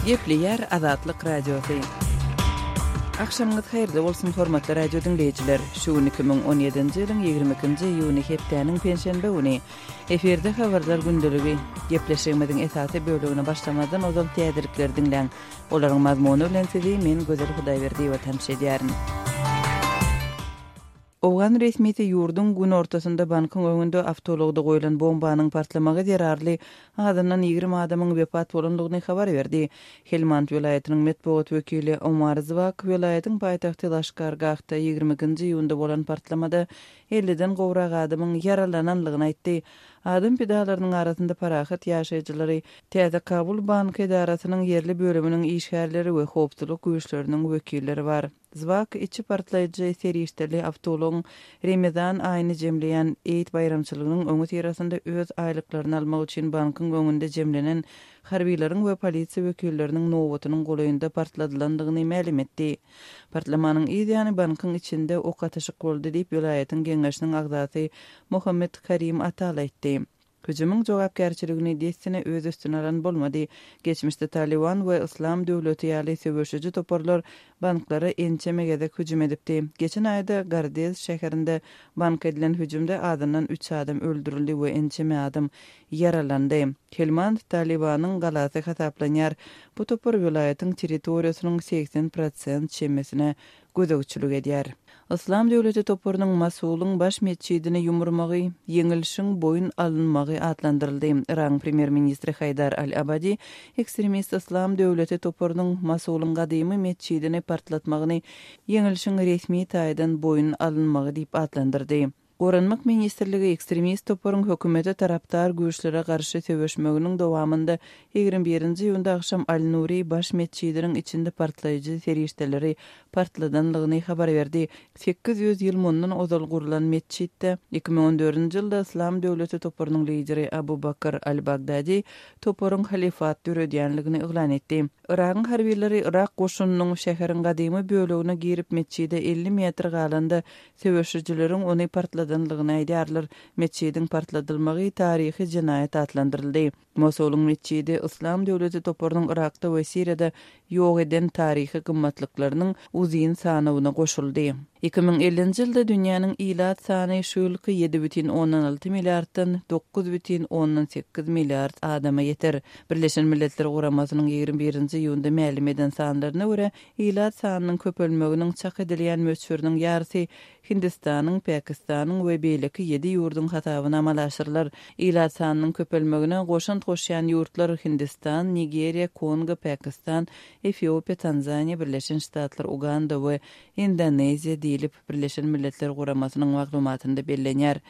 Gepleýär Azatlyk Radiosy. Agşamyňyz haýyrly bolsun, hormatly radio diňleýjiler! Şu gün 2017-nji ýylyň 22-nji iýuny hepdäniň penşenbe güni. Efirde habarlar gündeligi. Gepleşigimiziň esasy bölegine başlamazdan ozal täzelikleri diňläň. Olaryň mazmuny bilen sizi men Gözel Hudaýberdiýewa tanyş edýärin. Owgan resmisi ýurduň günortasynda bankyň öňünde awtoulagda goýlan bombanyň partlamagy zerarly azyndan 20 adamyň wepat bolandygyny habar berdi. Helmand welaýatynyň metbugat wekili Omar Zwak welaýatyň paýtagty Laşkargahda 22-nji iýunda bolan partlamada elliden gowrak adamyň ýaralananlygyny aýtdy. Adam pidalarynyň arasynda parahat ýaşaýjylary, Täze Kabul banky edarasynyň ýerli bölüminiň işgärleri we howpsuzlyk güýçleriniň wekilleri bar. Zwak içi partlaýjy serişdeli awtoulagyň Remezan aýyny jemleýän Eid baýramçylygynyň öňüsyrasynda öz aýlyklaryny almak üçin bankyň öňünde jemlenen harbylaryň we polisiýa wekilleriniň nobatynyň golaýynda partladylandygyny mälim etdi. Partlamanyň yz ýany bankyň içinde ok atyşyk boldy diýip, welaýatyň geňeşiniň agzasy Mohammed Karim Atal aýtdy. Hüjümiň jogapkärçiligini dessine öz üstüne alan bolmady. Geçmişde Talyban we Yslam döwleti ýaly söweşiji toparlar banklara ençeme gezek hüjüm edipdi. Geçen aýda Gardez şäherinde banka edilen hüjümde azyndan üç adam öldürildi we ençeme adam ýaralandy. Helmand Talybanyň galasy hasaplanýar. Bu topar welaýatyň territoriýasynyň 80 prosent çemesine gözegçilik edýär. Yslam döwleti toparynyň Mosulyň baş metjidini ýumurmagy ýeňilişiň boýun alynmagy atlandyryldy. Yragyň premýer-ministri Haýdar al-Abadi ekstremist Yslam döwleti toparynyň Mosulyň gadymy metjidini partlatmagyny ýeňilişiň resmi taýdan boýun alynmagy diýip atlandyrdy. Goranmak ministrligi ekstremist toparyň hökümete tarapdar güýçlere garşy söweşmeginiň dowamynda 21-nji iýunda agşam Al-Nuri baş metjidiniň içinde partlaýjy serişdeleri partladanlygyny habar berdi. 800 ýyl mundan ozal gurlan metjitde 2014-nji ýylda Yslam döwleti toparynyň lideri Abu Bakr al-Bagdadi toparyň halyfat döredýänligini yglan etdi. Yragyň harbylary yrak goşunynyň şäheriň gadymy bölegine girip metjide 50 metr galanda Söweşijileriň ony partladanlygyny aýdýarlar. Metjidiň partladylmagy taryhy jenaýat atlandyryldy. Mosulyň metjidi Yslam döwleti toparynyň Yrakda we Siriýada ýok eden taryhy gymmatlyklarynyň uzyn sanawyna goşuldy. 2050-nji ýylda dünýäniň ilat sany şu ýylky 7,6 milliarddan 9,8 milliard adama ýeter. Birleşen Milletler Guramasynyň 21-nji iýunda mälim eden sanlaryna görä, Ilat sanynyň köpelmeginiň çak edilýän möçberiniň ýarysy Hindistanyň, Päkistanyň we beýleki ýedi ýurduň hasabyna amala aşyrylar. Ilat sanynyň köpelmegine goşant goşýan ýurtlar Hindistan, Nigeriýa, Kongo, Päkistan, Efiopiýa, Tanzaniýa, Birleşen Ştatlar, Uganda we Indoneziýa diýlip, Birleşen Milletler Guramasynyň maglumatynda bellenýär.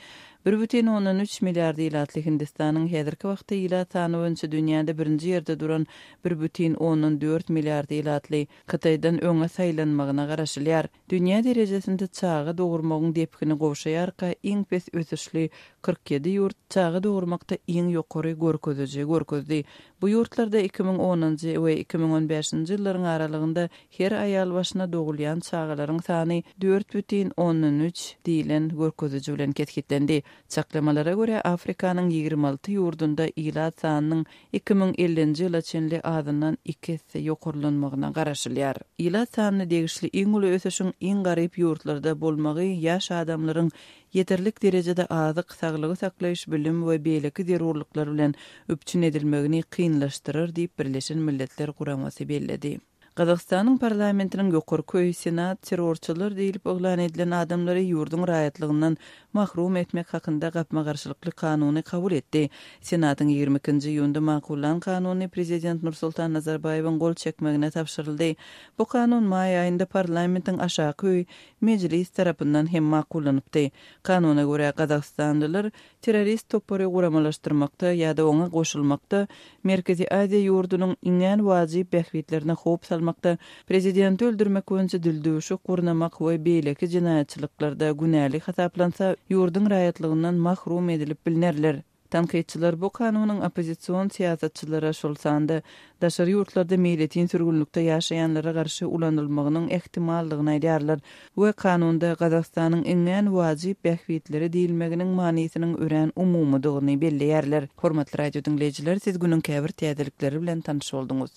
Bir bütin ondan üç milliard ilatly Hindistanyň häzirki wagtda ilat sany boýunça dünýäde birinji ýerde duran bir bütin ondan dört milliard ilatly Hytaýdan öňe saýlanmagyna garaşylýar. Dünýä derejesinde çaga dogurmagyň depgini gowşaýarka, iň pes ösüşli 47 ýurt çaga dogurmakda iň ýokary görkeziji görkezdi. Bu ýurtlarda 2010-njy we 2015-nji ýyllaryň aralygynda her aýal başyna dogulýan çagalaryň sany dört bütin ondan üç diýlen görkeziji bilen kesgitlendi. Çaklamalara görä, Afrikanyň 26 ýurdunda ilat sanynyň 2050-nji ýyla çenli azyndan iki esse ýokarlanmagyna garaşylýar. Ilat sanyna degişli iň uly ösüşiň iň garyp ýurtlarda bolmagy ýaş adamlaryň ýeterlik derejede azyk, saglygy saklaýyş, bilim we beýleki zerurlyklar bilen üpjün edilmegini kynlaşdyrar diýip, Birleşen Milletler Guramasy belledi. Gazagystanyň parlamentiniň ýokarky öýi Senat terrorçylar diýlip yglan edilen adamlary ýurduň raýatlygyndan mahrum etmek hakynda gapma-garşylykly kanuny kabul etdi. Senatyň 22-nji iýunda makullan kanuny prezident Nursultan Nazarbaýewiň gol çekmegine tabşyryldy. Bu kanun maý aýynda parlamentiň aşaky öýi Mejlis tarapyndan hem makullanypdy. Kanuna görä, gazagystanlylar terrorist topary guramalaşdyrmakda ýa-da oňa goşulmakda, Merkezi Aziýa ýurdunyň iňňän wajyp bähbitlerine howp salmakda, prezidenti öldürmek boýunça dildüwşük gurnamak we beýleki jenaýatçylyklarda günäli hasaplansa, ýurduň raýatlygyndan mahrum edilip bilnerler. Tankytçylar bu kanunyň oppozision syýasatçylara, şol sanda daşary ýurtlarda meýletin sürgünlikde ýaşaýanlara garşy ulanylmagynyň ähtimaldygyny aýdýarlar we kanunda Gazagystanyň iňňän wajyp bähbitleri diýilmeginiň manysynyň örän umumydygyny belleýärler. Hormatly radio diňleýjiler, siz günüň käbir täzelikleri bilen tanyş bolduňyz.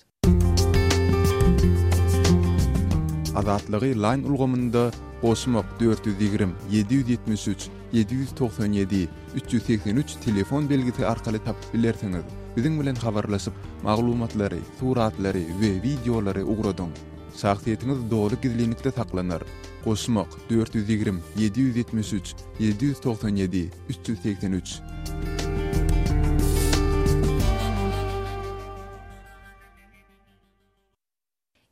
Azatlygy Line ulgamynda goşmak 420 773 797 383 telefon belgisi arkaly tapyp bilersiňiz. Biziň bilen habarlaşyp, maglumatlary, suratlary we wideolary ugradyň. Şahsyýetiňiz doly gizlinlikde saklanar. Goşmak, 420 773 797 383.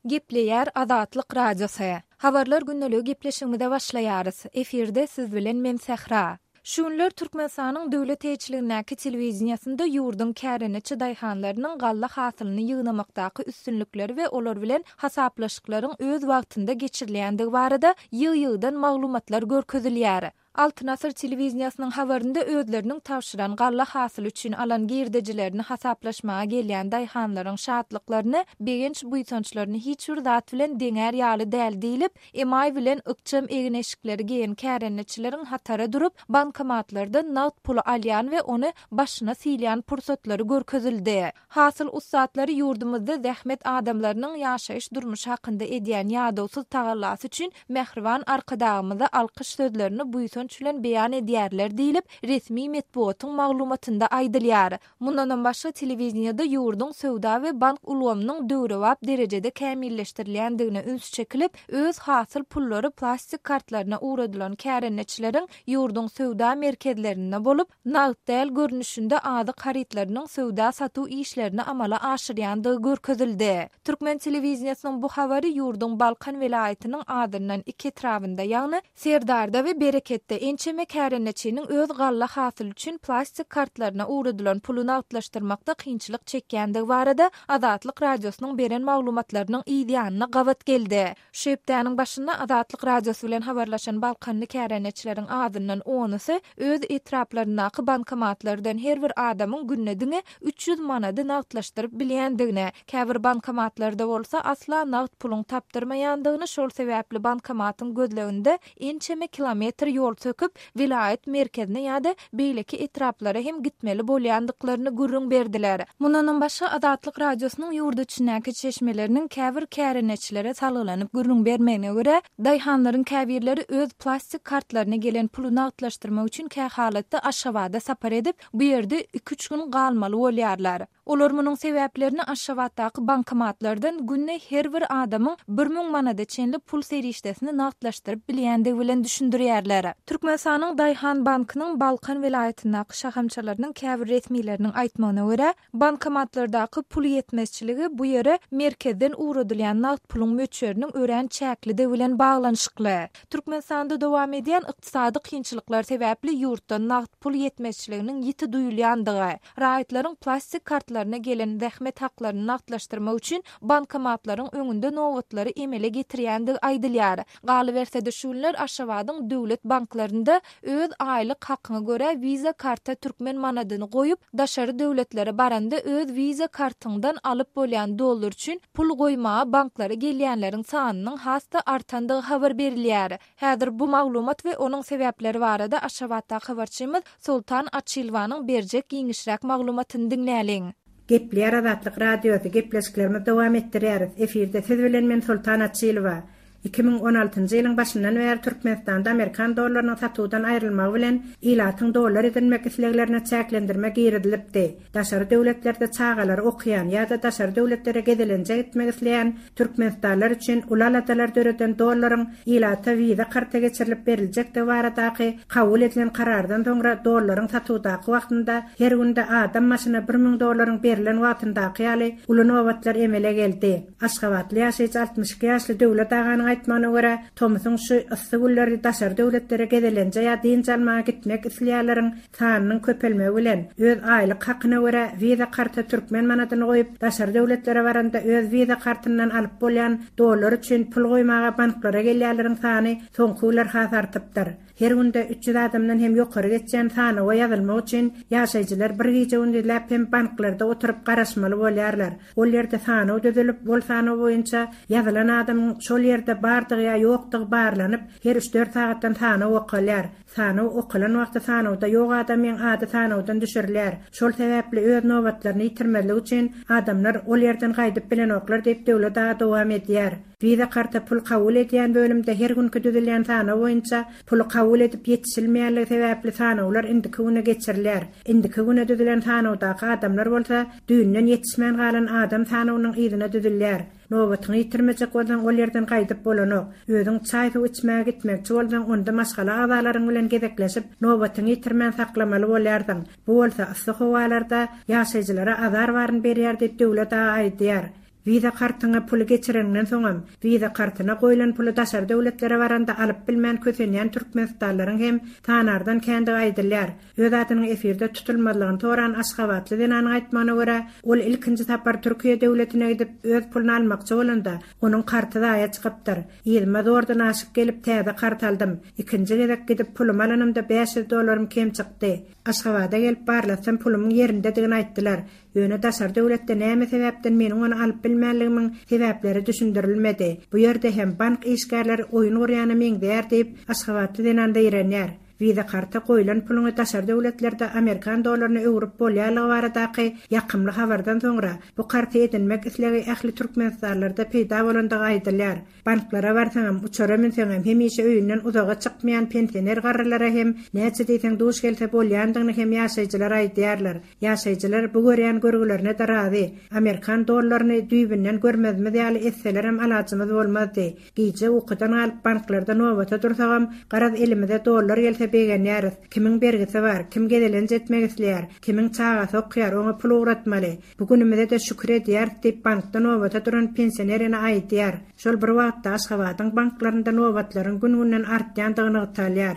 Gepleýär Azatlyk Radiosy. Habarlar gündeligi gepleşigimize başlaýarys. Efirde siz bilen men Sähra. Şu günler Türkmenistanyň döwlet eýeçiligindäki telewideniýesinde ýurduň kärendeçi daýhanlarynyň galla hasylyny ýygnamakdaky üstünlikleri we olar bilen hasaplaşyklaryň öz wagtynda geçirilýändigi barada ýygy-ýygydan maglumatlar görkezilýär. Altyn asyr telewideniýesiniň habarynda özleriniň tabşyran galla hasyly üçin alan girdejilerini hasaplaşmaga gelýän daýhanlaryň şatlyklaryny, begenç-buýsançlaryny hiç bir zat bilen deňär ýaly däl diýlip, emaý bilen ykjam egin-eşikleri geýen kärendeçileriň hatara durup, bankomatlardan nagt puly alýan we ony başyna sylýan pursatlary görkezildi. Hasyl ussatlary ýurdumyzda zähmet adamlarynyň ýaşaýyş-durmuşy hakynda edýän ýadawsyz tagallasy üçin mähriban Arkadagymyza alkyş sözlerini buýsanç bilen beýan edýärler diýlip, resmi metbugatyň maglumatynda aýdylýar. Mundanam başga telewideniýede ýurduň söwda we bank ulgamynyň döwrebap derejede kämilleşdirilýändigine üns çekilip, öz hasyl pullary plastik kartlaryna ugradylan kärendeçileriň ýurduň söwda merkezlerinde bolup, nagt däl görnüşinde azyk harytlarynyň söwda-satuw işlerini amala aşyrýandygy görkezildi. Türkmen telewideniýesiniň bu habary ýurduň Balkan welaýatynyň azyndan iki etrabynda, ýagny Serdarda we Bereketde ençeme kärendeçiniň öz galla hasyly üçin plastik kartlaryna ugradylan puly nagtlaşdyrmakda kynçylyk çekýändigi barada Azatlyk Radiosynyň beren maglumatlarynyň yz ýanyna gabat geldi. Şu hepdäniň başynda Azatlyk Radiosy bilen habarlaşan balkanly kärendeçileriň azyndan onusy öz etraplaryndaky bankomatlardan her bir adamyň günde diňe 300 manady nagtlaşdyryp bilýändigini, käbir bankomatlarda bolsa asla nagt puluň tapdyrmaýandygyny, şol sebäpli bankomatyň gözleginde ençeme kilometr ýol söküp, welaýat merkezine ýa-da beýleki etraplara hem gitmeli bolýandyklaryny gürrüň berdiler. Mundanam başga, Azatlyk Radiosynyň ýurt içindäki çeşmeleriniň käbir kärendeçilere salgylanyp gürrüň bermegine görä, daýhanlaryň käbirleri öz plastik kartlaryna gelen puly nagtlaşdyrmak üçin kähalatda Aşgabada sapar edip, bu ýerde iki-üç gün galmaly bolýarlar. Olar munuň sebäplerini Aşgabatdaky bankomatlardan günde her bir adamyň 1000 manada çenli pul serişdesini nagtlaşdyryp bilýändigi bilen düşündirýärler. Türkmenistanyň Daýhan bankynyň Balkan welaýatyndaky şahamçalarynyň käbir resmileriniň aýtmagyna görä, bankomatlardaky pul ýetmezçiligi bu ýere merkezden ugradylýan nagt puluň möçberiniň örän çäklidigi bilen baglanyşykly. Türkmenistanda dowam edýän ykdysady kynçylyklar sebäpli ýurtda nagt pul ýetmezçiliginiň ýiti duýulýandygy, Raýatlaryň plastik kartlaryna gelen zähmet haklaryny nagtlaşdyrmak üçin bankomatlaryň öňünde nobatlary emele getirýändigi aýdylýar. Galyberse-de, şu günler Aşgabadyň döwlet banklarynda öz aýlyk hakyňa görä Visa karta türkmen manadyny goýup, daşary döwletlere baranda öz Visa kartyňdan alyp bolýan dollar üçin pul goýmaga banklara gelýänleriň sanynyň has-da artandygy habar berilýär. Häzir bu maglumat we onuň sebäpleri barada Aşgabatdaky habarçymyz Soltan Açylowanyň berjek giňişräk maglumatyny diňläliň. Gepleýär Azatlyk Radiosy, gepleşiklerimizi dowam etdirýäris. Efirde siz bilen men Soltan Açylowa. 2016-njy ýylyň başyndan bäri Türkmenistanda amerikan dollarynyň satuwdan aýrylmagy bilen ilatyň dollar edinmek isleglerine çäklendirme girizilipdi. Daşary döwletlerde çagalary okaýan ýa-da daşary döwletlere gezelenje gitmek isleýän türkmenistanlylar üçin uly aladalar döreden dollaryň ilata wiza karta geçirilip beriljekdigi baradaky kabul edilen karardan soňra dollaryň satuwdaky wagtynda her günde adam başyna 1000 dollaryň berlen wagtyndaky ýaly uly nobatlar emele geldi. Aşgabatly ýaşaýjy 62 ýaşly Döwlet aganyň aýtmagyna görä, tomsuň şu yssy günleri daşary döwletlere gezelenje ýa dynç almaga gitmek isleýänleriň sanynyň köpelmegi bilen, öz aýlyk hakyna görä Visa karta türkmen manadyny goýup, daşary döwletlere baranda öz Visa kartyndan alyp bolýan dollar üçin pul goýmaga banklara gelýänleriň sany soňky günler has artypdyr. Her günde 300 adamdan hem ýokary geçýän sanawa ýazylmak üçin ýaşaýjylar bir gije-gündizläp hem banklarda oturyp garaşmaly bolýarlar. Ol ýerde sanaw düzülip, ol sanaw boýunça ýazylan adamyň şol ýerde. bardygy ýa ýokdugy barlanyp, her üç-dört sagatdan sanaw okalýar. Sanaw okalan wagty sanawda ýok adamyň ady sanawdan düşürilýär. Şol sebäpli öz nobatlaryny ýitirmezlik üçin adamlar ol ýerden gaýdyp bilenoklar diýip Döwlet aga dowam edýär. Visa karta pul kabul edýän bölümde her günki düzülýän sanaw boýunça puly kabul edip ýetişilmeýänligi sebäpli sanawlar indiki güne geçirilýär. Indiki güne düzülen sanawdaky adamlar bolsa düýnden ýetişmän galan adam sanawynyň yzyna düzülýär. Nobatyňy ýitirmejek bolsaň ol ýerden gaýdyp bolanok. Özüň çaý-suw içmäge gitmekçi bolsaň onda maşgala agzalaryň bilen gezekleşip nobatyňy ýitirmän saklamaly bolýarsyň. Bu bolsa yssy howalarda ýaşaýjylara azar baryny berýär diýip Döwlet aga aýdýar. Wiza kartyňa puly geçireniňden soňam, wiza kartyna goýlan puly daşary döwletlere baranda alyp bilmän kösenýän türkmenistanlylaryň hem sanardan kändigi aýdylýar. Öz adynyň efirde tutulmazlygyny soran aşgabatly zenanyň aýtmagyna görä, ol ilkinji sapar Türkiýe döwletine gidip, öz puluny almakçy bolanda, onuň karty zaýa çykypdyr. Yzyma zordan aşyp gelip, täze kart aldym. Ikinji gezek gidip pulumy alanymda 500 dollarym kem çykdy. Aşgabada gelip barlatsam pulumyň ýerindedigini aýtdylar. Ýöne daşary döwletde näme sebäpden meniň ony alyp bilmänligimiň sebäpleri düşündirilmedi. Bu ýerde hem bank işgärleri oýun gurýana meňzeýär diýip, aşgabatly zenan zeýrenýär. Wiza karta goýlan puluňy daşary döwletlerde amerikan dollaryna öwrüp bolýanlygy baradaky ýakymly habardan soňra, bu karty edinmek islegi ähli türkmenistanlylarda peýda bolandygy aýdylýar. Banklara barsaňam, uçara münseňem, hemişe öýünden uzaga çykmaýan pensioner garrylara hem näçe diýseň duş gelse bolýandygyny hem ýaşaýjylar aýdýarlar. Ýaşaýjylar bu görýän görgülerine-de razy. Amerikan dollaryny düýbünden görmezimiz ýaly etselerem alajymyz bolmazdy. Gije ukudan galyp banklarda nobata dursagam, garaz elimize dollar gelse begenýäris. Kimiň bergisi bar, kim gezelenç etmek isleýär, kimiň çagasy okýar, oňa pul ugratmaly. Bu günümize-de şükür edýäris diýip, bankda nobata duran pensioner ene aýdýar. Şol bir wagtda, Aşgabadyň banklarynda nobatlaryň gün-günden artýandygy nygtalýar.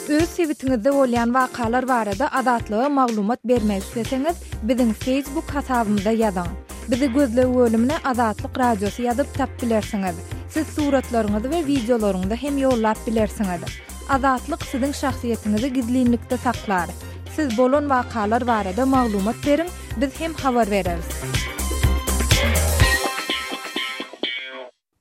Öz sebitiňizde bolýan wakalar barada Azatlyga maglumat bermek isleseňiz, biziň Facebook hasabymyza ýazyň. Bizi gözleg bölümine Azatlyk Radiosy ýazyp tap bilersiňiz. Siz suratlaryňyzy we wideolaryňyzy hem ýollap bilersiňiz. Azatlyk siziň şahsyýetiňizi gizlinlikde saklar. Siz bolan wakalar barada maglumat beriň, biz hem habar bereris.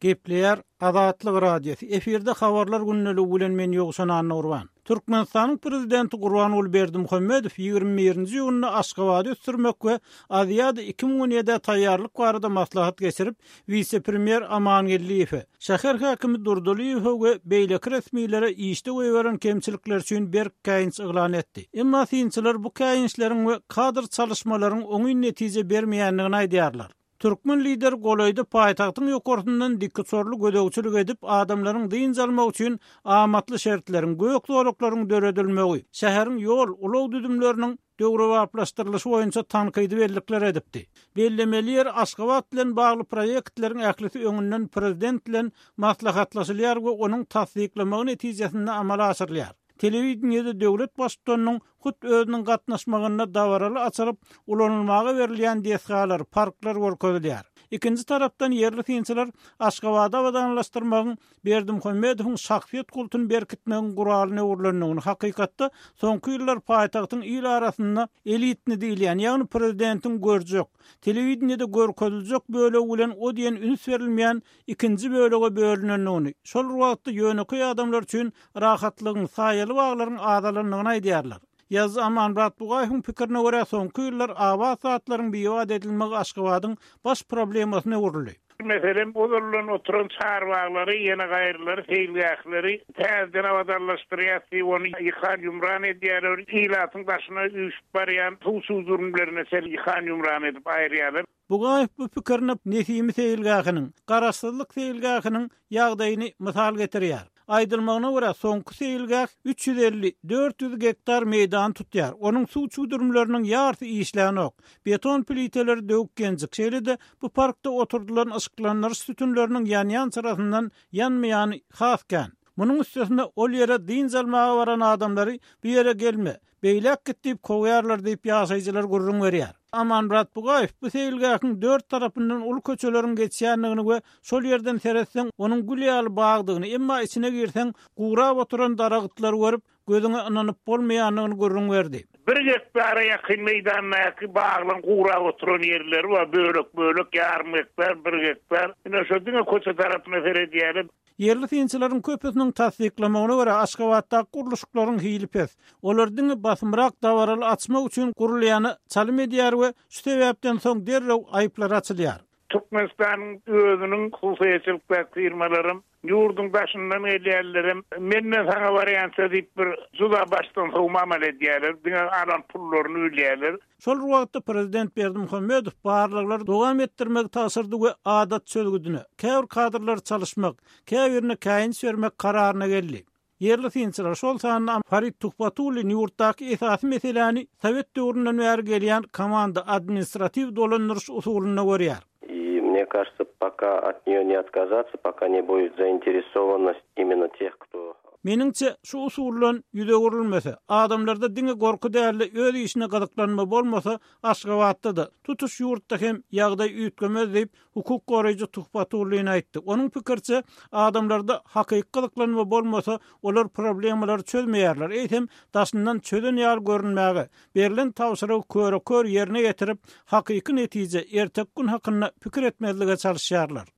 Gepleýär Azatlyk Radiosy, efirde Habarlar gündeligi bilen men Ýowşan Annagurban. Türkmenistanyň Prezidenti Gurbanguly Berdimuhamedow 21-nji iýunda Aşgabady ösdürmek we Aziada 2017-ä taýýarlyk barada maslahat geçirip, wise-premýer Amangeldiýewe, şäher häkimi Durdylyýewe we beýleki resmilere işde goýberen kemçilikleri üçin berk käýinç yglan etdi. Emma synçylar bu käýinçleriň we kadr çalyşmalaryň oňyn netije bermeýändigini aýdýarlar. Türkmen lideri golaýda paýtagtyň ýokarsyndan dikuçarly gözegçilik edip, adamlaryň dynç almagy üçin amatly şertleriň, gök zolaklaryň döredilmegi, şäheriň ýol, ulag düzümleriniň döwrebaplaşdyrylyşy boýunça tankydy bellikler edipdi. Bellemeli ýeri, Aşgabat bilen bagly proýektleriň ählisi öňünden prezident bilen maslahatlaşylýar we onuň tassyklamagy netijesinde amala aşyrylýar. Telewideniýede döwlet Baştutanynyň hut özüniň gatnaşmagynda dabaraly açylyp, ulanylmaga berilýän desgalar, parklar görkezilýär. Ikinji tarapdan ýerli synçylar Aşgabady abadanlaşdyrmagyň Berdimuhamedowyň şahsyýet kultuny berkitmegiň guralyna öwrülendigini, hakykatda soňky ýyllar paýtagtyň il arasynda elitni diýilýän, ýagny prezidentiň görjek, telewideniýede görkeziljek bölegi bilen o diýen üns berilmeýän ikinji bölege bölünendigini, şol bir wagtda ýönekeý adamlar üçin rahatlygyň, saýaly baglaryň azalandygyny aýdýarlar. Ýazyjy Amanmyrat Bugaýewiň pikirine görä, soňky ýyllar abat zatlaryň bibat edilmegi Aşgabadyň baş problemasyna öwrüldi. Meselem, ozaldan oturan çarbaglary, ýene gaýrylary, seýilgähleri täzeden abadanlaşdyrýas diýip, ony ýykan-ýumran edýärler. Ilatyň daşyna üýşüp barýan suw çüwdürimlerine çenli ýykan-ýumran edip aýyrýarlar. Bugaýew bu pikirine Nesimi seýilgähiniň, Garaşsyzlyk seýilgähiniň ýagdaýyny mysal getirýär. Aýdylmagyna görä, soňky seýilgäh 350, 400 gektar meýdany tutýar. Onuň suw çüwdürimleriniň ýarysy işlänok. Beton pliteleri döwük-genjik. Şeýle-de, bu parkda oturdylan yşyklandyryş sütünleriniň ýanýan çyrasyndan ýanmaýany has kän. Munuň üstesine, ol ýere dynç almaga baran adamlary bu ýere gelme! Beýläk git diýip kowýarlar diýip, ýaşaýjylar gürrüň berýär. Amanmyrat Bugaýew bu seýilgähiň dört tarapyndan uly köçeleriň geçýändigini we şol ýerden seretseň, onuň gül ýaly bagdygyny, emma içine girseň, gurap oturan daragytlary görüp, gözüňe ynanyp bolmaýandygyny gürrüň berdi. Bir gektara ýakyn meýdandaky baglaryň gurap oturan ýerleri bar, bölek-bölek, ýarym gektar, bir gektar. Ine, şo diňe köçe tarapyna seredýärler. Ýerli synçylaryň köpüsiniň tassyklamagyna görä, Aşgabatdaky gurluşyklaryň hili pes. Olar diňe basymrak dabaraly açmak üçin gurulýana çalym edýär we şu sebäpden soň derrew aýyplar açylýar. Türkmenistanyň özüniň hususyýetçilikdäki firmalaram, ýurduň daşyndan gelýänlerem menden saňa barýança diýip bir juda başdan sowma amal edýärler, diňe alan pullaryny bilýärler. Şol bir wagtda prezident Berdimuhamedow barlaglary dowam etdirmegi tabşyrdy we adat çözgüdine, käbir kadrlary çalyşmak, käbirine käýinç bermek kararyna geldi. Ýerli synçylar, şol sanda Farid Tuhbatullin ýurtdaky esasy meseläni sowet döwründen bäri gelýän komanda administratiw dolandyryş usulynda görýär. I mne kažется, poka ot neýo ne otkazatsa, poka ne budet zainteresovannost imенно teh, kto. Meniňçe, şu usuldan ýüz öwrülmese, adamlarda diňe gorky däl-de öz işine gyzyklanma bolmasa, Aşgabatda-da, tutuş ýurtda hem ýagdaý üýtgemez diýip, Hukuk goraýjy Tuhbatullin aýtdy. Onuň pikiriçe, adamlarda hakyky gyzyklanma bolmasa, olar problemalary çözmeýärler, eýsem, daşyndan çözen ýaly görünmäge, berlen tabşyrygy köre-kör ýerine ýetirip, hakyky netije, erteki gün hakynda pikir etmezlige çalyşýarlar.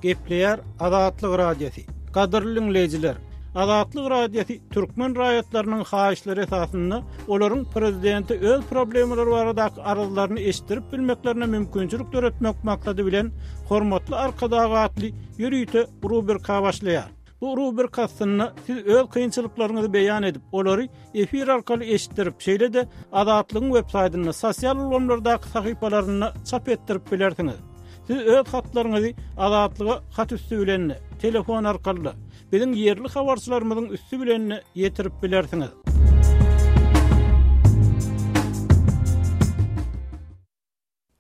Gepleýär Azatlyk Radiosy. Gadyrly diňleýjiler! Azatlyk Radiosy türkmen raýatlarynyň haýyşlary esasynda olaryň prezidente öz problemalary baradaky arzlaryny eşitdirip bilmeklerine mümkinçilik döretmek maksady bilen Hormatly Arkadag atly ýörite rubrika başlaýar. Bu rubrika astynda siz öz kynçylyklaryňyzy beýan edip, olary efir arkaly eşitdirip, şeýle-de Azatlygyň websaýtynda, sosial ulgamlardaky sahypalarynda çap etdirip bilersiňiz. Siz öz hatlaryňyzy Azatlyga hat üsti bilen-de, telefon arkaly-da, biziň ýerli habarçylarymyzyň üsti bilen-de ýetirip bilersiňiz.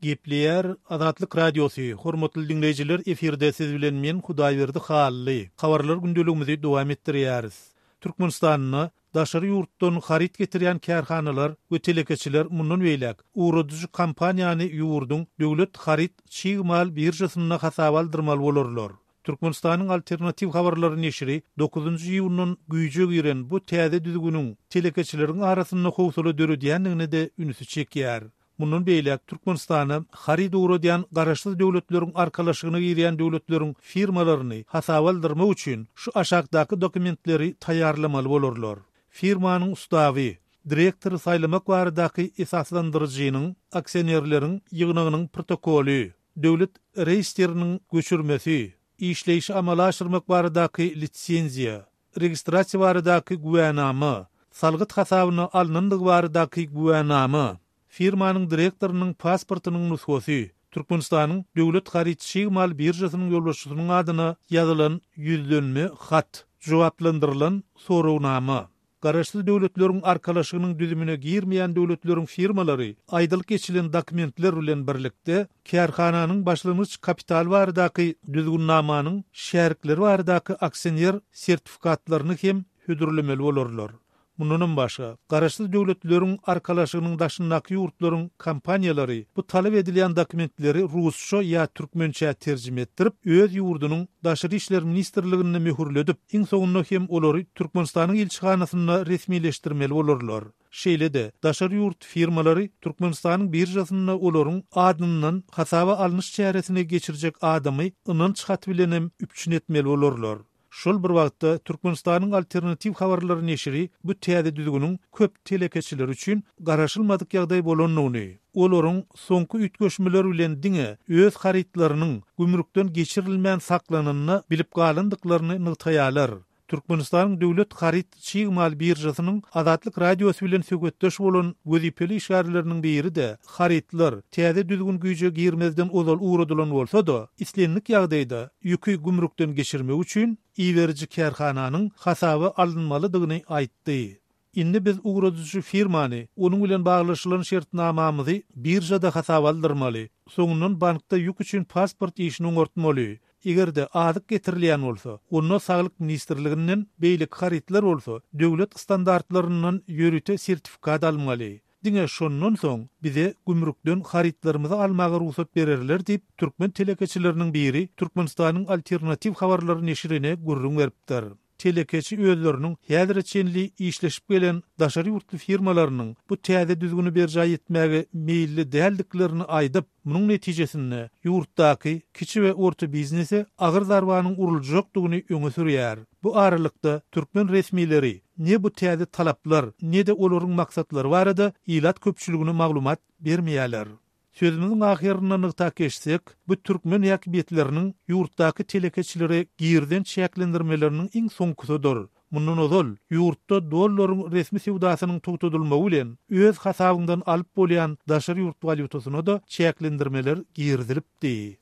Gepleýär Azatlyk Radiosy, Hormatly diňleýjiler efirde siz bilen men Hudaýberdi Hally. Habarlar gündeligimizi dowam etdirýäris. Türkmenistanda daşary ýurtdan haryt getirýän kärhanalar we telekeçiler mundan beýläk ugradyjy kompaniýany ýurduň döwlet haryt çig mal biržasynda hasaba aldyrmaly bolarlar. Türkmenistanyň Alternatiw habarlary neşiri dokuzynjy iýundan güýje giren bu täze düzgüniň telekeçileriň arasynda howsala döredýändigine-de ünsi çekýär. Mundan beýläk Türkmenistana haryt ugradýan Garaşsyz Döwletleriň Arkalaşygyna girýän döwletleriň firmalaryny hasaba aldyrmak üçin şu aşakdaky dokumentleri taýýarlamaly bolarlar, firmanyň ustawy, direktory saýlamak baradaky esaslandyryjynyň, aksionerleriň, ýygnagynyň protokoly, döwlet reýestriniň göçürmesi, işleýşi amala aşyrmak baradaky lisenziýa, registrasiýa baradaky güwänama, salgyt hasabyna alnandygy baradaky güwänama, firmanyň direktorynyň pasportynyň nusgasy, Türkmenistanyň Döwlet haryt-çig mal biržasynyň ýolbaşçysynyň adyna ýazylan ýüzlenme hat, jogaplandyrylan soragnama. Garaşsyz Döwletleriň Arkalaşygynyň düzümine girmeýän döwletleriň firmalary aýdylyp geçilen dokumentler bilen birlikde, kärhananyň başlangyç kapitaly baradaky düzgünnamanyň şärikleri baradaky aksioner sertifikatlaryny hem hödürlemeli bolarlar. Mundanam başga, Garaşsyz Döwletleriň Arkalaşygynyň daşyndaky ýurtlaryň kompaniýalary bu talap edilýän dokumentleri rusça ýa türkmençä terjime etdirip, öz ýurdunyň Daşary işler ministrliginde möhürledip, iň soňunda hem olary Türkmenistanyň ilçihanasynda resmileşdirmeli bolarlar. Şeýle-de, daşary ýurt firmalary Türkmenistanyň biržasynda olaryň adyndan hasaba alnyş çäresini geçirjek adamy ynanç haty bilen hem üpjün etmeli bolarlar. Şol bir wagtda, Türkmenistanyň Alternatiw habarlary neşiri bu täze düzgüniň köp telekeçiler üçin garaşylmadyk ýagdaý bolandygyny, olaryň soňky üýtgeşmeler bilen diňe öz harytlarynyň gümrükden geçirilmän saklananyny bilip galandyklaryny nygtaýarlar. Türkmenistanyň Döwlet haryt çig mal biržasynyň Azatlyk Radiosy bilen söhbetdeş bolan wezipeli işgärleriniň biri-de harytlar täze düzgün güýje girmezden ozal ugradylan bolsa-da, islendik ýagdaýda ýüki gümrükden geçirmek üçin iberiji kärhananyň hasaba alynmalydygyny aýtdy. Indi biz ugradyjy firmany, onuň bilen baglaşylan şertnamamyzy biržada hasaba aldyrmaly. Soňundan bankda ýük üçin pasport işini oňartmaly. Eger-de azyk getirilýän bolsa, onda Saglyk ministrliginden, beýleki harytlar bolsa, döwlet standartlaryndan ýörite sertifikat almaly. Diňe şondan soň bize gümrükden harytlarymyzy almaga rugsat bererler diýip, türkmen telekeçileriniň biri Türkmenistanyň Alternatiw habarlary neşirine gürrüň beripdir. Telekeçi özleriniň häzire çenli işleşip gelen daşary ýurtly firmalarynyň bu täze düzgüni berjaý etmäge meýilli däldiklerini aýdyp, munuň netijesinde ýurtdaky kiçi we orta biznese agyr zarbanyň uruljakdygyny öňe sürýär. Bu aralykda, türkmen resmileri ne bu täze talaplar, ne-de olaryň maksatlary barada ilat köpçüligine maglumat bermeýärler. Sözümiziň ahyrynda nygtap geçsek, bu türkmen häkimiýetleriniň ýurtdaky telekeçilere girizen çäklendirmeleriniň iň soňkusydyr. Mundan ozal, ýurtda dollaryň resmi söwdasynyň togtadylmagy bilen, öz hasabyňdan alyp bolýan daşary ýurt walýutasyna-da çäklendirmeler girizilipdi.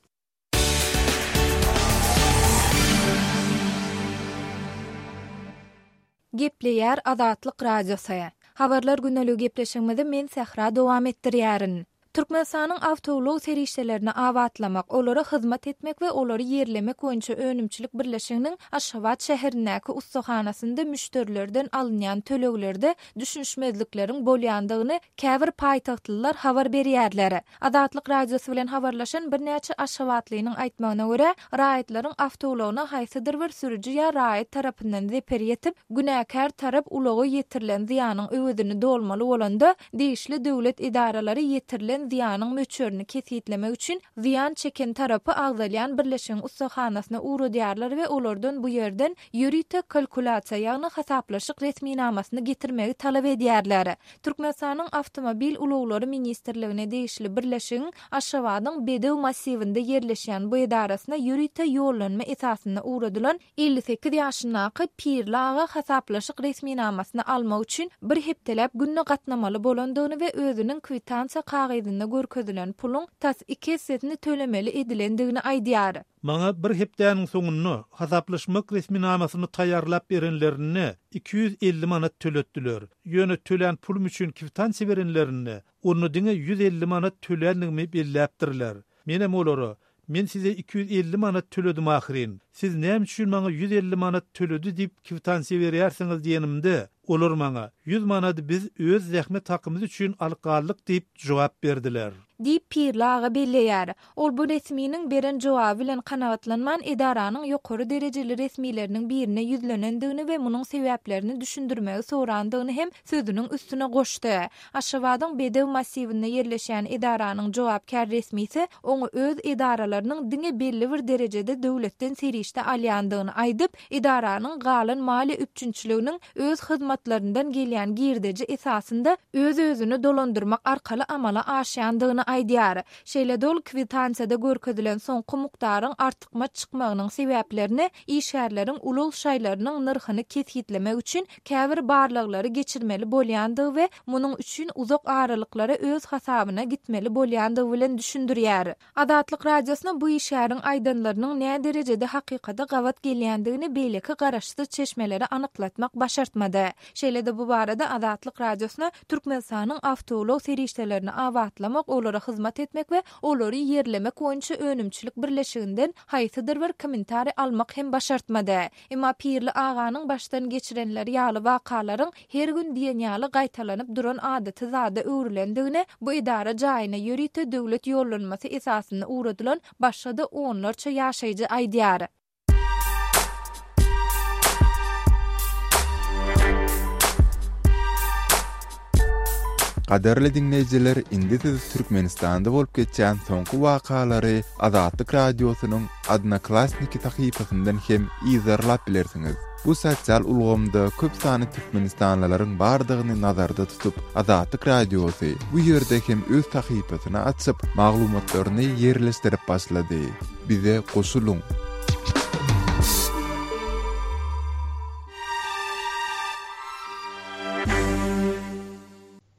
Gepleýär Azatlyk Radiosy. Habarlar gündeligi gepleşigimizi men Sähra dowam etdirýärin. Türkmenistanyň awtoulag serişdelerini abatlamak, olara hyzmat etmek we olary ýerlemek boýunça önümçilik birleşiginiň Aşgabat şäherindäki ussahanasynda müşderilerden alynýan töleglerde düşünişmezlikleriň bolýandygyny käbir paýtagtlylar habar berýärler. Azatlyk Radiosy bilen habarlaşan birnäçe aşgabatlynyň aýtmagyna görä, raýatlaryň awtoulagyna haýsydyr bir sürüji ýa raýat tarapyndan zeper ýetip, günäkär tarap ulaga ýetirilen zyýanyň öwezini dolmaly bolanda, degişli döwlet edaralary ýetirilen zyýanyň möçberini kesgitlemek üçin zyýan çeken tarapy agzalýan birleşigiň ussahanasyna ugradýarlar we olardan bu ýerden ýörite kalkulýasiýa, ýagny hasaplaşyk resminamasyny getirmegi talap edýärler. Türkmenistanyň Awtomobil ulaglary ministrligine degişli birleşigiň Aşgabadyň Bedew massiwinde ýerleşýän bu edarasyna ýörite ýollanma esasynda ugradylan 58 ýaşyndaky Pirli aga hasaplaşyk resminamasyny almak üçin bir hepdeläp günde gatnamaly bolandygyny we özüniň kwitansiýa kagyzynda görkezilen puluň tas iki essesini tölemeli edilendigini aýdýar. Maňa bir hepdäniň soňunda hasaplaşmak resminamasyny taýýarlap berenlerinde 250 manat töletdiler. Ýöne tölän pulum üçin kwitansiýa berenlerinde, onda diňe 150 manat töländigimi belläpdirler. Menem olara, Men size 250 manat töledim ahyryn. Siz näme üçin maňa 150 manat töledi diýip kwitansiýa berýärsiňiz diýenimde, olar maňa, 100 manady biz öz zähmet hakymyz üçin alyp galdyk diýip jogap berdiler. Diýip, Pirli aga belleýär. Ol bu resminiň beren jogaby bilen kanagatlanman, edaranyň ýokary derejeli resmileriniň birine ýüzlenendigini we munuň sebäplerini düşündirmegi sorandygyny hem sözüniň üstüne goşdy. Aşgabadyň Bedew massiwinde ýerleşýän edaranyň jogapkär resmisi oňa öz edaralarynyň diňe belli bir derejede döwletden serişde alýandygyny aýdyp, edaranyň galan maliýe üpjünçiliginiň öz hyzmatlaryndan gelýän girdeji esasynda öz-özüni dolandyrmak arkaly amala aşýandygyny aýdýar. Şeýle-de ol kwitansiýada görkezilen soňky mukdaryň artykmaç çykmagynyň sebäplerini işgärleriň ulag şaýlarynyň nyrhyny kesgitlemek üçin käbir barlaglary geçirmeli bolýandygy we munuň üçin uzak aralyklara öz hasabyna gitmeli bolýandygy bilen düşündirýär. Azatlyk Radiosyna bu işgäriň aýdanlarynyň näderejede hakykata gabat gelýändigini beýleki garaşsyz çeşmelere anyklatmak başartmady. Şeýle-de bu barada Azatlyk Radiosyna Türkmenistanyň awtoulag serişdelerini abatlamak, olara hyzmat etmek we olary ýerlemek boýunça önümçilik birleşiginden haýsydyr bir kommentariý almak hem başartmady. Emma Pirli aganyň başdan geçirenleri ýaly wakalaryň her gün diýen ýaly gaýtalanyp duran adaty zada öwrülendigini bu edara jaýyna ýörite döwlet ýollanmasy esasynda ugradylan başga-da onlarça ýaşaýjy aýdýar. Gadyrly diňleýjiler, indi siz Türkmenistanda bolup geçýän soňky wakalary Azatlyk Radiosynyň Odnoklassniki sahypasyndan hem yzarlap bilersiňiz. Bu sosial ulgamda köp sanly türkmenistanlylaryň bardygyny nazarda tutup, Azatlyk Radiosy bu ýerde hem öz sahypasyny açyp, maglumatlaryny ýerleşdirip başlady. Bize goşulyň!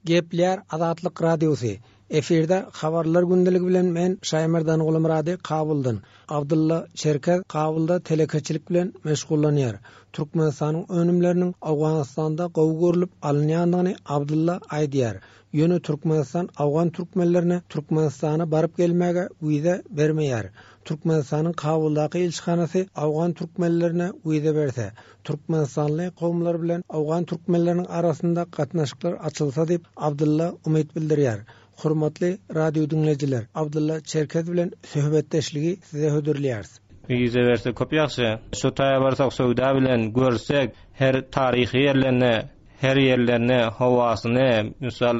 Gepleýär Azatlyk Radiosy. Efirde Habarlar gündeligi bilen men Şaýmerdan Gulumyrady Kabuldan. Abdylla Çerkez Kabulda telekeçilik bilen meşgullanýar. Türkmenistanyň önümleriniň Owganystanda gowy görlüp alynýandygyny Abdylla aýdýar. Ýöne Türkmenistan owgan türkmenlerine Türkmenistana baryp gelmäge wiza bermeýär. Türkmenistanyň Kabuldaky ilçihanasy owgan türkmenlerine wiza berse, türkmenistanly kowumlar bilen owgan türkmenleriniň arasynda gatnaşyklar açylsa diýip, Abdylla umyt bildirýär. Hormatly radio diňleýjiler, Abdylla Çerkez bilen söhbetdeşligi size hödürleýäris. Wiza berse köp ýagşy. Şu taýa barsak söwda bilen görsek her taryhy ýerlerini her ýerlerini howasyny mysal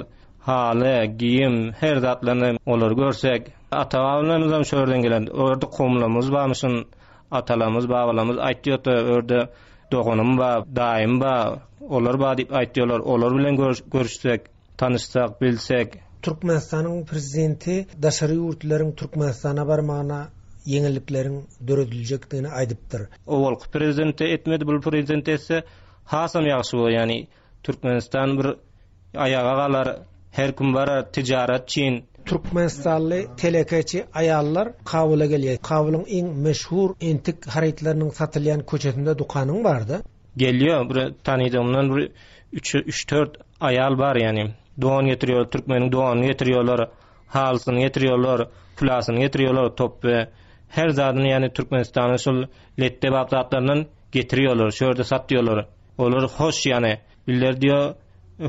haly giýim her zatlaryny olary görsek ata babalarymyzam şu ýerden gelen o ýerde kowumlarymyz barmyşyn atalarymyz babalarymyz aýtýardy o ýerde doganym bar daýym bar olar bar diýip aýtýarlar olar bilen görüşsek Tanyşsak, bilsek. Türkmenistanyň Prezidenti daşary ýurtlylaryň Türkmenistana barmagyna ýeňillikleriň dörediljekdigini aýdypdyr. Owalky prezident etmedi bul prezident etse hasam ýagşy bolar ýani Türkmenistan bir aýaga galar her kim barar tijarat çin. Türkmenistanly telekeçi aýallar Kabula gelýär. Kabulyň iň meşhur entik harytlarynyň satylýan köçesinde dükanyň barda. Gelýär bir tanydygymdan bir üç üç-dört aýal bar ýani. Don getirýärler, türkmeniň donuny getirýärler, halysyny getirýärler, külasyny getirýärler, topby. Her zadyny ýani Türkmenistanyň şol letde-bap zatlaryndan getirýärler, şu ýerde satýarlar. Olar hoş ýani. Bizler diýýär,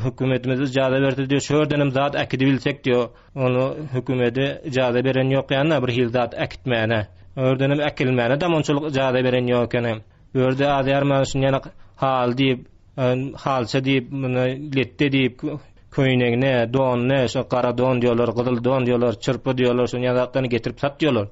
hökümetimiz ijaza berse diýýär, şu ýerdenem zat äkidibilsek diýýär. Ony hökümede ijaza beren ýok ýani bir hili zat äkitmäne. O ýerdenem äkilmäne-de onçalyk ijaza beren ýok ekeni. Bu ýerde az-ýarman şuny ýanak haly diýip, halça diýip, muny letde diýip, köýnegine, donuny, şo gara don diýýärler, gyzyl don diýýärler, çyrpy diýýärler, şuny ýaly zatlaryny getirip satýarlar.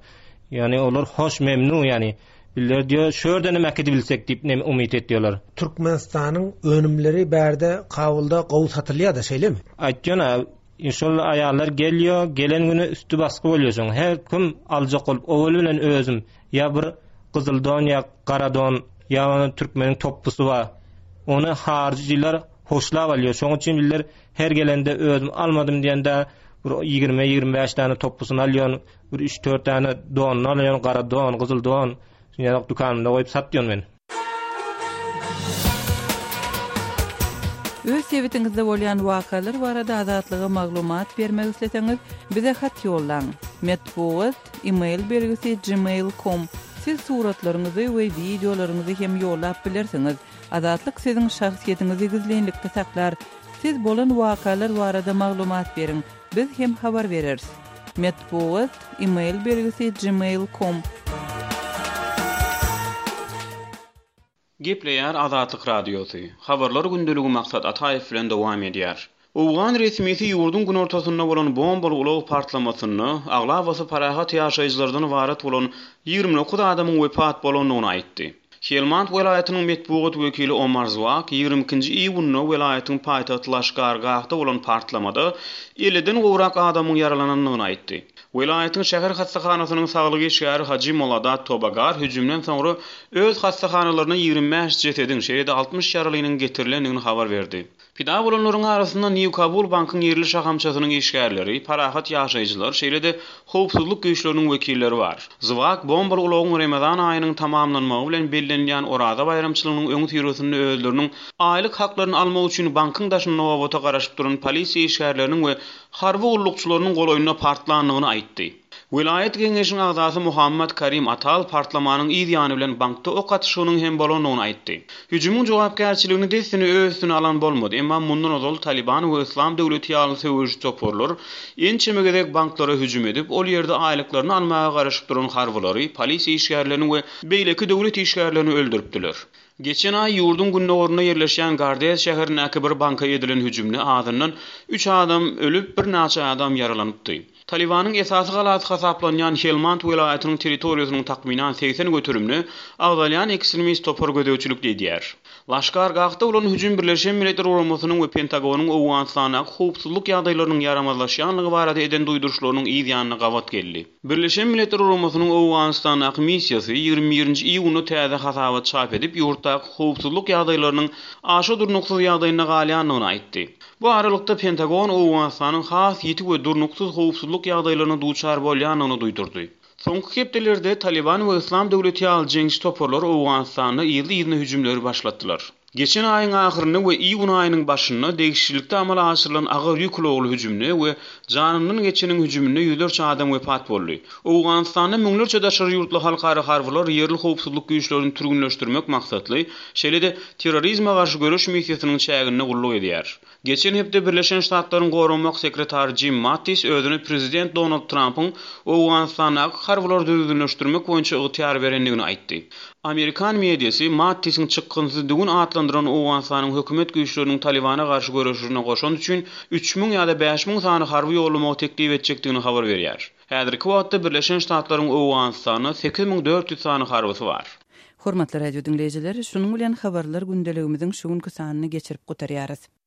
Ýagny olar hoş, memnun, ýagny bizler diýýär, şu ýerdenem äkidibilsek diýip neme umyt etýärler. Türkmenistanyň önümleri bärde Kabulda gowy satylýar-da, şeýlemi? Aýtýan-a, Şol aýallar gelýär, gelen güni üsti basgy bolýar şoň. Her kim aljak bolup, owaly bilen özüm ýa bir gyzyl don ýa gara don, ýa ony türkmeniň topbusy bar. Ony haryjylar hoşlap alýar. Şoň üçin bizler her gelende özüm almadym diýende bir ýigrimi, 25 däne topbusyny alýan, bir üç-dört däne donuny alýan, gara don, gyzyl don. Şuny ýaly dükanymda goýup satýan men. Öz sebitiňizde bolýan wakalar barada Azatlyga maglumat bermek isleseňiz, bize hat ýollaň. Metbugat, e-mail belgisi gmail com. Siz suratlaryňyzy we wideolaryňyzy hem ýollap bilersiňiz. Azatlyk siziň şahsyýetiňizi gizlinlikde saklar. Siz bolan wakalar barada maglumat beriň, biz hem habar bereris. Metbugat, e-mail belgisi gmail com. Gepleýär Azatlyk Radiosy, Habarlar gündeligi Maksat Ataýew bilen dowam edýär. Owgan resmisi ýurduň günortasynda bolan bombaly ulag partlamasynda aglabasy parahat ýaşaýjylardan ybarat bolan 29 adamyň wepat bolandygyny aýtdy. Helmand welaýatynyň metbugat wekili Omar Zwak ýigrimi ikinji iýunda welaýatyň paýtagty Laşkar-Gahda bolan partlamada elliden gowrak adamyň ýaralanandygyny aýtdy. Welaýatyň şäher hassahanasynyň saglyk işgäri Haji Moladat Tobagar hüjümden soňra öz hassahanalaryna 25 jesediň, şeýle-de 60 ýaralynyň getirilendigini habar berdi. Pida bolanlaryň arasynda New Kabul bankyň ýerli şahamçasynyň işgärleri, parahat ýaşaýjylar, şeýle-de howpsuzlyk güýçleriniň wekilleri bar. Zwak bombaly ulagyň Remezan aýynyň tamamlanmagy bilen bellenilýän Oraza baýramçylygynyň öňüsyrasynda özleriniň aýlyk haklaryny almak üçin bankyň daşynda nobata garaşyp duran polisiýa işgärleriniň we harby gullukçylarynyň golaýynda partlandygyny aýtdy. Welaýat geňeşiň agzasy Muhammad Karim Atal partlamanyň yz ýany bilen bankda ok atyşygynyň hem bolandygyny aýtdy. Hüjümiň jogapkärçiligini dessine öz üstüne alan bolmady, emma mundan ozal Talyban we Yslam döwleti ýaly söweşiji toparlar ençeme gezek banklara hüjüm edip, ol ýerde aýlyklaryny almaga garaşyp duran harbylary, polisiýa işgärlerini we beýleki döwlet işgärlerini öldüripdiler. Geçen aý ýurduň gündogarynda ýerleşýän Gardez şäherindäki bir banka edilen hüjümde azyndan üç adam ölüp, birnaçe adam ýaralanypdy. Talybanyň esasy galasy hasaplanýan Helmand welaýatynyň territoriýasynyň takmynan 80 göterimine agzalýan ekstremist topar gözegçilik edýär. Laşkar Gahda bolan hüjüm Birleşen Milletler Guramasynyň we Pentagonyň Owganystandaky howpsuzlyk ýagdaýlarynyň ýaramazlaşýanlygy barada eden duýduryşlarynyň yz ýanyna gabat geldi. Birleşen Milletler Guramasynyň Owganystandaky missiýasy 21-nji iýunda täze hasabat çap edip, ýurtdaky howpsuzlyk ýagdaýlarynyň aşa durnuksyz ýagdaýynda galýandygyny aýtdy. Bu aralykda, Pentagon Owganystanyň has ýiti we durnuksyz howpsuzlyk ýagdaýlaryna duçar bolýandygyny duýdurdy. Soňky hepdelerde Talyban we Yslam döwleti ýaly jeňçi toparlar Owganystanda yzly-yzyna hüjümleri başlatdylar. Geçen aýyň ahyrynda we iýun aýynyň başynda degişlilikde amala aşyrylan agyr ýük ulagly hüjümde we janyndan geçeniň hüjüminde ýüzlerçe adam wepat boldy. Owganystanda müňlerçe daşary ýurtly halkara harbylar ýerli howpsuzlyk güýçlerini türgünleşdirmek maksatly, şeýle-de terrorizme garşy göreş missiýasynyň çäginde gulluk edýär. Geçen hepde Birleşen Ştatlaryň Goranmak sekretary Jim Mattis özüne prezident Donald Trampyň Owganystandaky harbylary düzgünleşdirmek boýunça ygtyýar berendigini aýtdy. Amerikan mediasy Mattisiň çykgynsyz düwün atlandyran Owganystanyň hökümet güýçleriniň Talybana garşy göreşine goşant üçin 3000 ýa-da 5000 sany harby ýollamagy teklip etjekdigini habar berýär. Häzirki wagtda Birleşen Ştatlaryň Owganystanda 8400 sany harbysy bar. Hormatly radio diňleýjiler, şunuň bilen Habarlar gündeligimiziň şu günki sanyny geçirip gutarýarys.